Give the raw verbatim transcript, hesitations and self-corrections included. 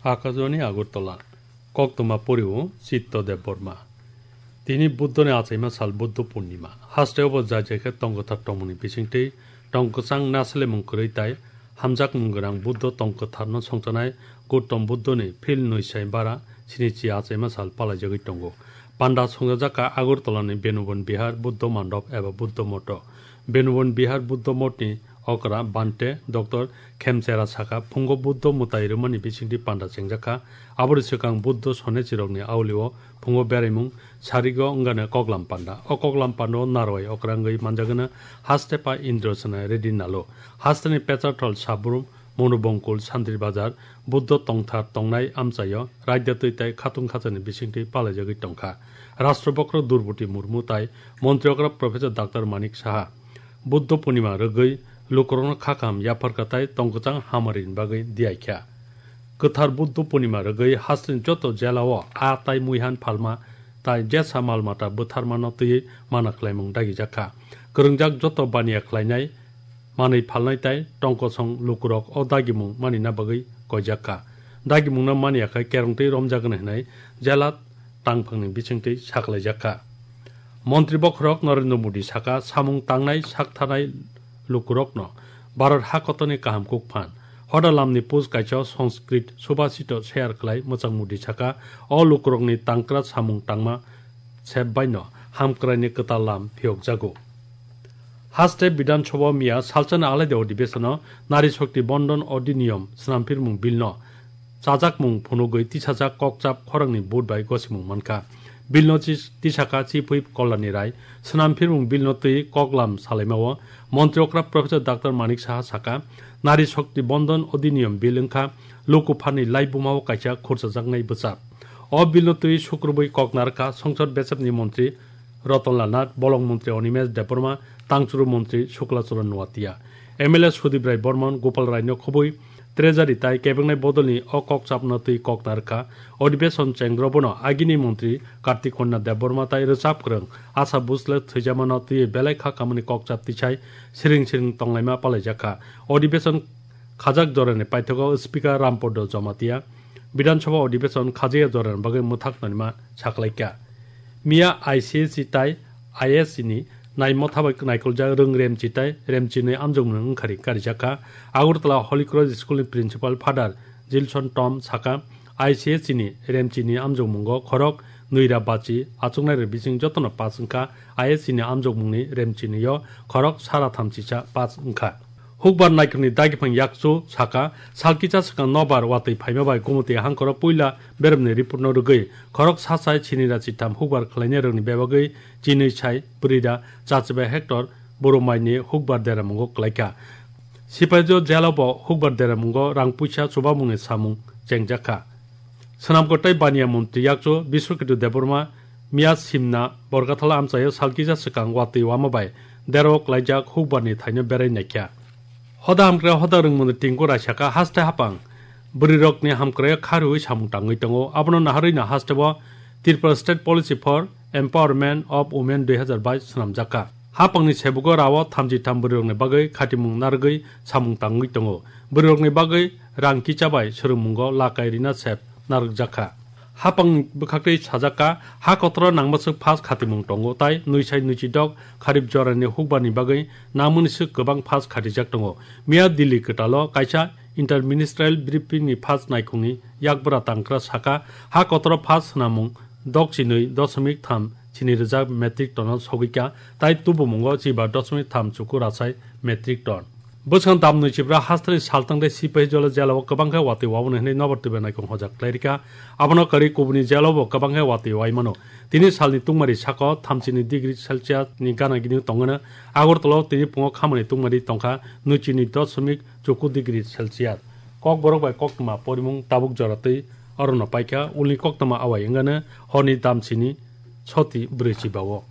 Akajwani Agartala, koktwma poriwo Chitto Debbarma. Tini Buddhoni achaima sal Buddho Purnima. Hasteo bo jai jai khe tong kwthar tongmungni bisingtwi tong kwchang nasalemung kwrwi tai hamjakmung gwnang Buddho tong kwtharno songchanai Gautam Buddhoni phil nwi sai bara sinichi achaima sal palaijagwi tongo. Panda songjak kha Agartalani Benubon Bihar Buddho Mandop eba Buddho Moto. Benubon Bihar Buddho Motni okra Bhante Doctor Khemchera sakha, phungo Buddho mwtai rwmani bisingtwi panda chengjak kha. Aboni swkang Buddho sonechirokni aulio phungo beraimung sarigo wngano koklam panda. O koklam pandao narwai okra wngwi manjagwno haste pa Indro Sena Reddy Nalo. Hasteni Pecharthal, Sabrum, Monubongkul, Santri Bazar, Buddho tongthar tongnai amchaio raida twi tai khatung khachani bisingtwi palaijagwi tongkha. Rashtra Bokhorok Droupadi Murmu tai Montri okra Professor Doctor Manik Saha. Buddho Purnima rwgwi lukurokno kha kaham yapharkha tai tongkwchang hamari bagwi diyaikha. Kwthar Buddho Purnima rwgwi hasteni joto jelao aa tai muihan phalma tai jesa mal mata bwtharmano twiwi mana khlaimung dagijakha. Kwrwngjak joto baniya khlainai manwi phalnai tai tongkosong lukurok o dagimung manina bagwi koijakha. Dagimungno maniya khe kerongtwi romjagwno hwnwi jela tangphangni bisingtwi saklaijakha. Montri Bokhorok Narendra Modi sakha, samung tangnai saktharnai lukurokno Bharat hakotorni kaham kukphan. Hoda lamni post kaisa Sanskrit subhasito share khlai mwchang Modi sakha, o lukurokni tangkra samung tangma sebbaino hamkraini kwtal lam phiyokjago. Haste Bidhan Sabha miya salchani alaida odibeshono Nari Shakti Bondon Odhiniyom swnamphirmung bill no chajakmung phunugwi tisajak kokchap khorangni vote bai gosimung mankha. Bill no chi-, tisakha Chief Whip Kalyani Rai. Swnamphirmung bill no twi koklam salaimao Montri okra Professor Doctor Manik Saha sakha, Nari Shakti Bondon Odhiniyom bill wngkha lukuphani laibumao kaisa khurchajaknai bwchap. O bill no twi sukrubwi kok narwkha Songsod Bechepni Montri Ratan Lal Nath, Bolong Montri Animesh Debbarma, Tangchuru Montri Shukla Charan Noatia. M L A Sudip Rai Barman, Gopal Rai no khobwi Treasury tai kebeknai bodolni o kokchapno twi kok narwkha. Odibeshono chengro bono agini Montri Kartik Kanya Debbarma tai rwchap kwrwng Asha Bhosle thwijamano twiwi belai kha kamani kokchap tisai siring siring tonglaima palaijakha. Odibeshono khajak jorani paithago Speaker Rampodo Jamatia Bidhan Sabha Odibeshono khajaya jorani bagwi mwthak naima saklaikha. Miya I C S E tai I S E ni naimotha bai naikoljak rwng Remchi tai Remchinwi amjokmung wngkhari karijakha. Agartala Holy Cross School ni Principal Father Jilson Tom sakha, I C S E ni Remchini amjokmungo khorok nwira bachi achuknairok bising jotono pass wngkha. I S E ni amjokmungni Remchinio khorok sara thamchisa pass wngkha. Hukbar naikhungni dagiphang yakchu sakha, salkisa swkang nobar watwi phaima bai Gumoti hangkoro puila beremni report no rwgwi khorok sachai sinira chitham hukbar khlainairokni bebagwi chinwi sai bwrwira chachibai hector boromaini hukbar deramungo klaikha. Sipaijwk jela bo hukbar deramungo rang puisa chubamungni samung chengjakha. Swnamkot tei baniya montri yakchu Biswaketu Debbarma miya simna Borkathala amchaio salkisa swkang watwi wama bai derao klaijak hukbarni thaino berai naikha. Hoda hamkrai hoda rwngmungni tingku raisakha haste hapang bwrwirokni hamkraio kha rwui samung tangwi tongo. Abono naharwino hasteo Tripura State Policy for Empowerment of Women dui hazar bais swnamjakha. Hapangni sebugo rao thamchi tham bwrwirokni bagwi khatimung narwgwi samung tangwi tongo. Bwrwirokni bagwi rang kicha bai swrwngmungo lakai rina sep narwkjakha. Hapangni bwkhaktwi sajakha, ha kotoro nangmaswk phas khatimung tongo, tai nwisai nwichidok kharip jorani hukbarni bagwi nangmani swk kwbang phas khatijak tongo. Miya Delhi kwtalo kaisa interministerial briefing ni phas naikhungni yakbwra tangkra sakha, ha kotoro phas swnamung dok chinwi dosmik tham chini rwjak metric ton o sogwikha, tai tubumungo chiba dosmik tham chuku rachai metric ton. Bwskang damnwi chibra hasteni saltang tei sipahi jola jela o kwbang khe watwi waboni hwnwi nobar twibai naikhung hojak khlairikha. Abono kwrwi kubuni jela bo kwbang khe watwi waimano. Tini salni tungmari sako thamchini degree Celsius ni gana gini tongwino. Agartala o tini pungo khamani tungmari tongkha nwichini dosmik chuku degree Celsius. Kokborok bai koktwma porimung tabuk jora twi orono paikha, ulni koktwma awai wngano horni damchini soti brwi chiba o.